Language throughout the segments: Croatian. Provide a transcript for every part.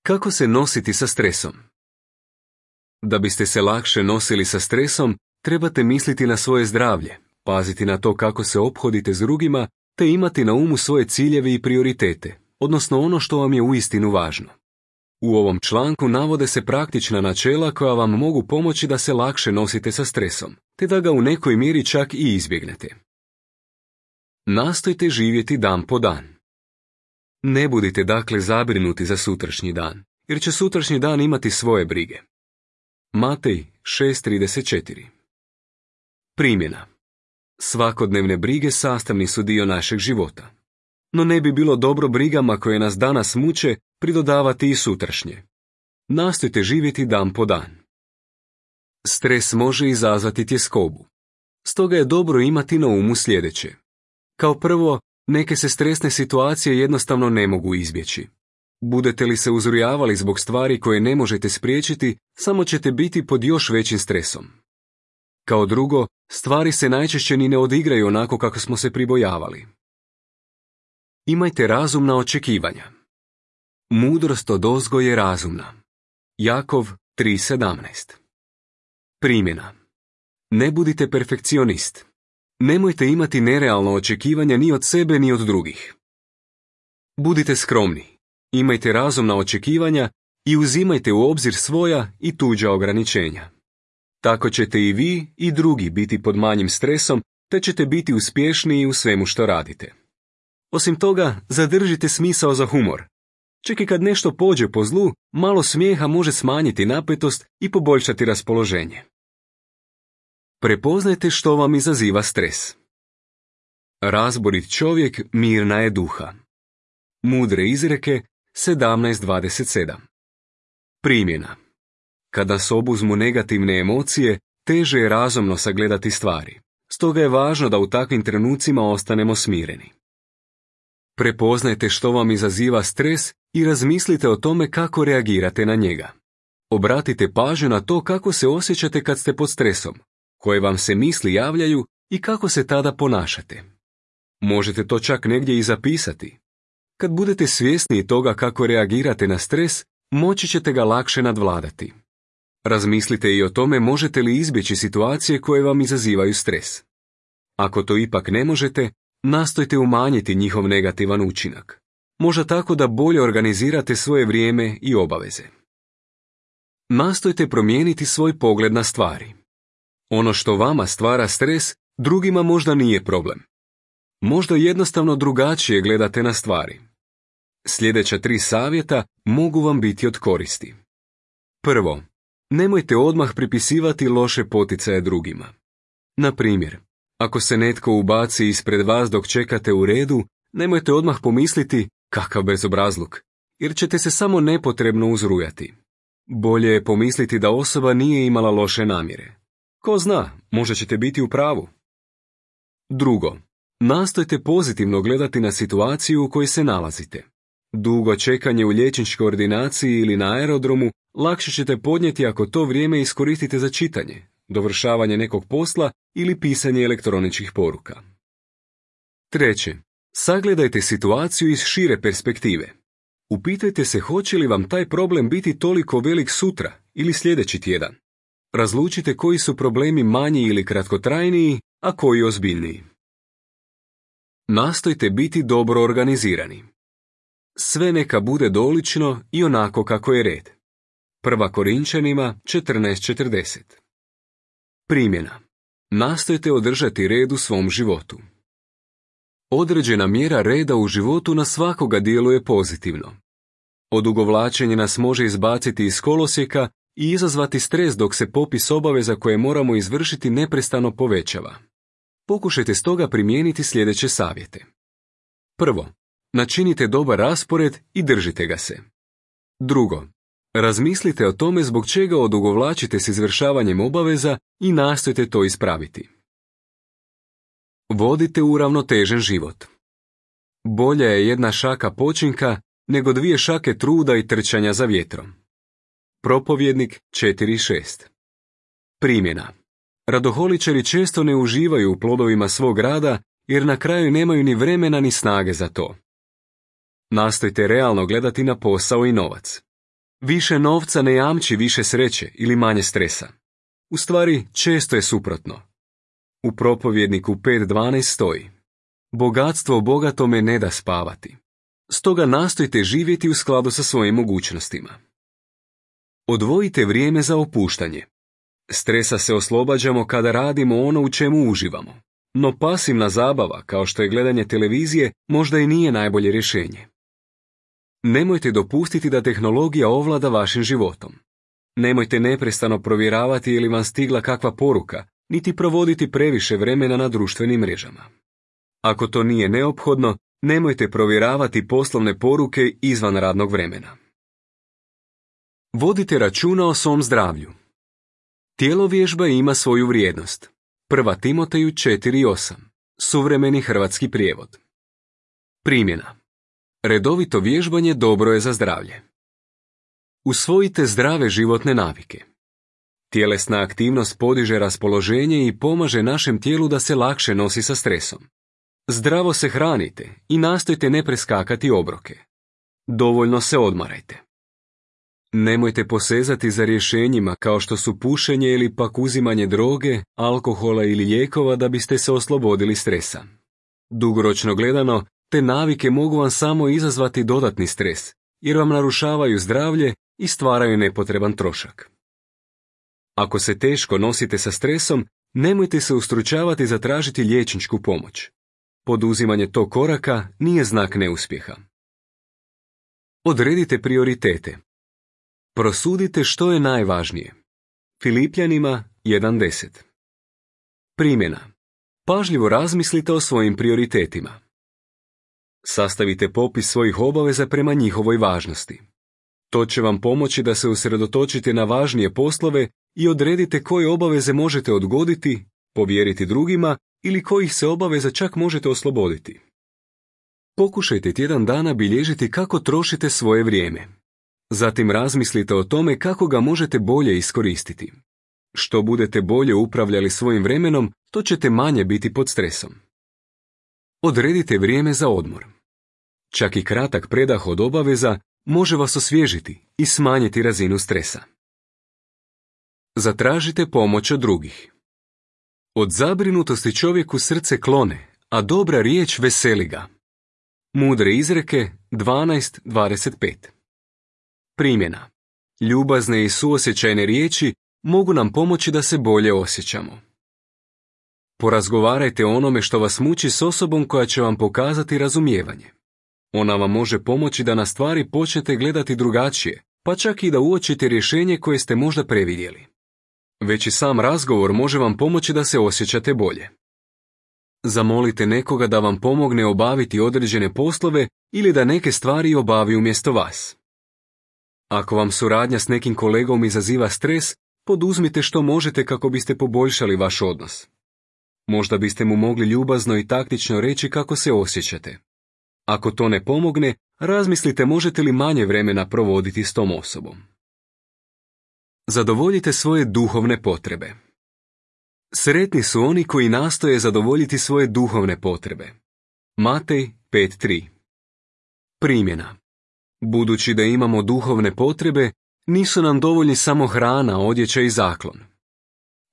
Kako se nositi sa stresom? Da biste se lakše nosili sa stresom, trebate misliti na svoje zdravlje, paziti na to kako se ophodite s drugima, te imati na umu svoje ciljeve i prioritete, odnosno ono što vam je uistinu važno. U ovom članku navode se praktična načela koja vam mogu pomoći da se lakše nosite sa stresom, te da ga u nekoj mjeri čak i izbjegnete. Nastojte živjeti dan po dan. Ne budite dakle zabrinuti za sutrašnji dan, jer će sutrašnji dan imati svoje brige. Matej 6:34. Primjena. Svakodnevne brige sastavni su dio našeg života. No ne bi bilo dobro brigama koje nas danas muče pridodavati i sutrašnje. Nastojte živjeti dan po dan. Stres može izazvati tjeskobu. Stoga je dobro imati na umu sljedeće. Kao prvo, neke se stresne situacije jednostavno ne mogu izbjeći. Budete li se uzrujavali zbog stvari koje ne možete spriječiti, samo ćete biti pod još većim stresom. Kao drugo, stvari se najčešće ni ne odigraju onako kako smo se pribojavali. Imajte razumna očekivanja. Mudrost odozgo je razumna. Jakov 3:17. Primjena. Ne budite perfekcionist. Nemojte imati nerealno očekivanja ni od sebe ni od drugih. Budite skromni. Imajte razumna očekivanja i uzimajte u obzir svoja i tuđa ograničenja. Tako ćete i vi i drugi biti pod manjim stresom, te ćete biti uspješniji u svemu što radite. Osim toga, zadržite smisao za humor. Čak i kad nešto pođe po zlu, malo smijeha može smanjiti napetost i poboljšati raspoloženje. Prepoznajte što vam izaziva stres. Razborit čovjek mirna je duha. Mudre izreke 17:27. Primjena. Kada se obuzmu negativne emocije, teže je razumno sagledati stvari. Stoga je važno da u takvim trenucima ostanemo smireni. Prepoznajte što vam izaziva stres i razmislite o tome kako reagirate na njega. Obratite pažnju na to kako se osjećate kad ste pod stresom, koje vam se misli javljaju i kako se tada ponašate. Možete to čak negdje i zapisati. Kad budete svjesni toga kako reagirate na stres, moći ćete ga lakše nadvladati. Razmislite i o tome možete li izbjeći situacije koje vam izazivaju stres. Ako to ipak ne možete, nastojte umanjiti njihov negativan učinak. Možda tako da bolje organizirate svoje vrijeme i obaveze. Nastojte promijeniti svoj pogled na stvari. Ono što vama stvara stres, drugima možda nije problem. Možda jednostavno drugačije gledate na stvari. Sljedeća 3 savjeta mogu vam biti od koristi. Prvo, nemojte odmah pripisivati loše poticaje drugima. Na primjer, ako se netko ubaci ispred vas dok čekate u redu, nemojte odmah pomisliti kakav bezobrazluk, jer ćete se samo nepotrebno uzrujati. Bolje je pomisliti da osoba nije imala loše namjere. Ko zna, možda ćete biti u pravu. Drugo, nastojte pozitivno gledati na situaciju u kojoj se nalazite. Dugo čekanje u liječničkoj ordinaciji ili na aerodromu lakše ćete podnijeti ako to vrijeme iskoristite za čitanje, dovršavanje nekog posla ili pisanje elektroničkih poruka. Treće, sagledajte situaciju iz šire perspektive. Upitajte se hoće li vam taj problem biti toliko velik sutra ili sljedeći tjedan. Razlučite koji su problemi manji ili kratkotrajniji, a koji ozbiljniji. Nastojte biti dobro organizirani. Sve neka bude dolično i onako kako je red. 1. Korinčanima 14:40. Primjena. Nastojte održati red u svom životu. Određena mjera reda u životu na svakoga djeluje pozitivno. Odugovlačenje nas može izbaciti iz kolosijeka i izazvati stres dok se popis obaveza koje moramo izvršiti neprestano povećava. Pokušajte stoga primijeniti sljedeće savjete. Prvo, načinite dobar raspored i držite ga se. Drugo, razmislite o tome zbog čega odugovlačite s izvršavanjem obaveza i nastojte to ispraviti. Vodite uravnotežen život. Bolja je jedna šaka počinka nego 2 šake truda i trčanja za vjetrom. Propovjednik 4:6. Primjena. Radoholičari često ne uživaju u plodovima svog rada jer na kraju nemaju ni vremena ni snage za to. Nastojte realno gledati na posao i novac. Više novca ne jamči više sreće ili manje stresa. U stvari, često je suprotno. U Propovjedniku 5.12 stoji: bogatstvo bogatome ne da spavati. Stoga nastojte živjeti u skladu sa svojim mogućnostima. Odvojite vrijeme za opuštanje. Stresa se oslobađamo kada radimo ono u čemu uživamo, no pasivna zabava, kao što je gledanje televizije, možda i nije najbolje rješenje. Nemojte dopustiti da tehnologija ovlada vašim životom. Nemojte neprestano provjeravati je li vam stigla kakva poruka, niti provoditi previše vremena na društvenim mrežama. Ako to nije neophodno, nemojte provjeravati poslovne poruke izvan radnog vremena. Vodite računa o svom zdravlju. Tjelovježba ima svoju vrijednost. 1. Timoteju 4.8. Suvremeni hrvatski prijevod. Primjena. Redovito vježbanje dobro je za zdravlje. Usvojite zdrave životne navike. Tjelesna aktivnost podiže raspoloženje i pomaže našem tijelu da se lakše nosi sa stresom. Zdravo se hranite i nastojte ne preskakati obroke. Dovoljno se odmarajte. Nemojte posezati za rješenjima kao što su pušenje ili pak uzimanje droge, alkohola ili lijekova da biste se oslobodili stresa. Dugoročno gledano, te navike mogu vam samo izazvati dodatni stres, jer vam narušavaju zdravlje i stvaraju nepotreban trošak. Ako se teško nosite sa stresom, nemojte se ustručavati zatražiti liječničku pomoć. Poduzimanje tog koraka nije znak neuspjeha. Odredite prioritete. Prosudite što je najvažnije. Filipljanima 1.10. Primjena. Pažljivo razmislite o svojim prioritetima. Sastavite popis svojih obaveza prema njihovoj važnosti. To će vam pomoći da se usredotočite na važnije poslove i odredite koje obaveze možete odgoditi, povjeriti drugima ili kojih se obaveza čak možete osloboditi. Pokušajte tjedan dana bilježiti kako trošite svoje vrijeme. Zatim razmislite o tome kako ga možete bolje iskoristiti. Što budete bolje upravljali svojim vremenom, to ćete manje biti pod stresom. Odredite vrijeme za odmor. Čak i kratak predah od obaveza može vas osvježiti i smanjiti razinu stresa. Zatražite pomoć od drugih. Od zabrinutosti čovjeku srce klone, a dobra riječ veseli ga. Mudre izreke 12.25. Primjena. Ljubazne i suosjećajne riječi mogu nam pomoći da se bolje osjećamo. Porazgovarajte o onome što vas muči s osobom koja će vam pokazati razumijevanje. Ona vam može pomoći da na stvari počnete gledati drugačije, pa čak i da uočite rješenje koje ste možda previdjeli. Već i sam razgovor može vam pomoći da se osjećate bolje. Zamolite nekoga da vam pomogne obaviti određene poslove ili da neke stvari obavi umjesto vas. Ako vam suradnja s nekim kolegom izaziva stres, poduzmite što možete kako biste poboljšali vaš odnos. Možda biste mu mogli ljubazno i taktično reći kako se osjećate. Ako to ne pomogne, razmislite možete li manje vremena provoditi s tom osobom. Zadovoljite svoje duhovne potrebe. Sretni su oni koji nastoje zadovoljiti svoje duhovne potrebe. Matej 5.3. Primjena. Budući da imamo duhovne potrebe, nisu nam dovoljni samo hrana, odjeća i zaklon.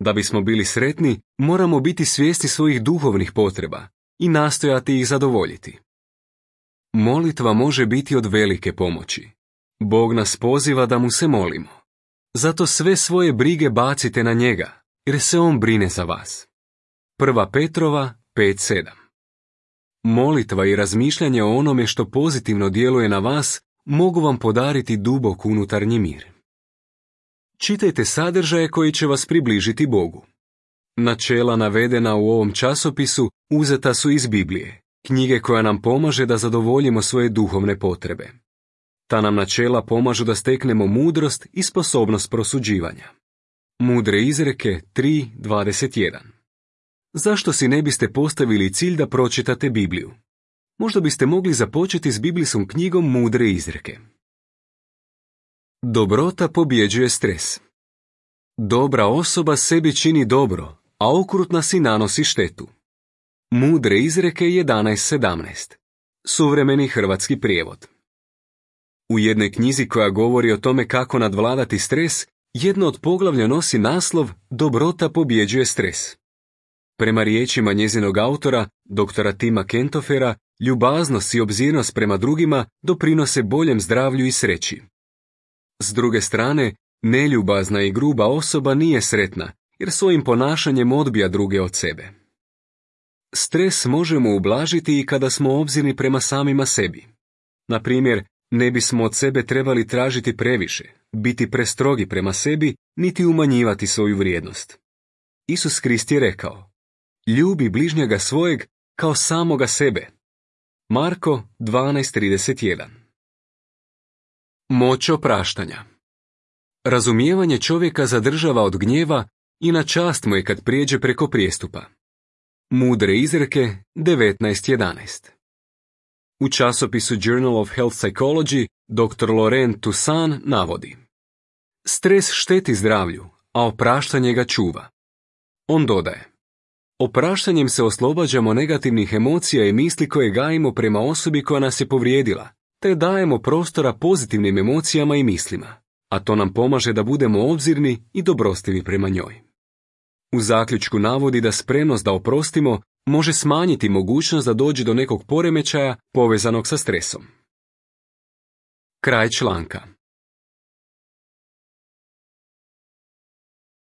Da bismo bili sretni, moramo biti svjesni svojih duhovnih potreba i nastojati ih zadovoljiti. Molitva može biti od velike pomoći. Bog nas poziva da mu se molimo. Zato sve svoje brige bacite na njega, jer se on brine za vas. 1. Petrova 5.7. Molitva i razmišljanje o onome što pozitivno djeluje na vas mogu vam podariti dubok unutarnji mir. Čitajte sadržaje koji će vas približiti Bogu. Načela navedena u ovom časopisu uzeta su iz Biblije, knjige koja nam pomaže da zadovoljimo svoje duhovne potrebe. Ta nam načela pomažu da steknemo mudrost i sposobnost prosuđivanja. Mudre izreke 3.21. Zašto si ne biste postavili cilj da pročitate Bibliju? Možda biste mogli započeti s biblijskom knjigom Mudre izreke. Dobrota pobjeđuje stres. Dobra osoba sebi čini dobro, a okrutna si nanosi štetu. Mudre izreke 11.17. Suvremeni hrvatski prijevod. U jednoj knjizi koja govori o tome kako nadvladati stres, jedno od poglavlja nosi naslov Dobrota pobjeđuje stres. Prema riječima njezinog autora, doktora Tima Kentofera, ljubaznost i obzirnost prema drugima doprinose boljem zdravlju i sreći. S druge strane, neljubazna i gruba osoba nije sretna, jer svojim ponašanjem odbija druge od sebe. Stres možemo ublažiti i kada smo obzirni prema samima sebi. Na primjer, ne bismo od sebe trebali tražiti previše, biti prestrogi prema sebi, niti umanjivati svoju vrijednost. Isus Krist je rekao: ljubi bližnjega svojeg kao samoga sebe. Marko 12:31. Moć opraštanja. Razumijevanje čovjeka zadržava od gnjeva i na čast mu je kad prijeđe preko prijestupa. Mudre izreke 19:11. U časopisu Journal of Health Psychology dr. Laurent Toussaint navodi: stres šteti zdravlju, a opraštanje ga čuva. On dodaje: opraštanjem se oslobađamo negativnih emocija i misli koje gajimo prema osobi koja nas je povrijedila, te dajemo prostora pozitivnim emocijama i mislima, a to nam pomaže da budemo obzirni i dobrostivi prema njoj. U zaključku navodi da spremnost da oprostimo može smanjiti mogućnost da dođe do nekog poremećaja povezanog sa stresom. Kraj članka.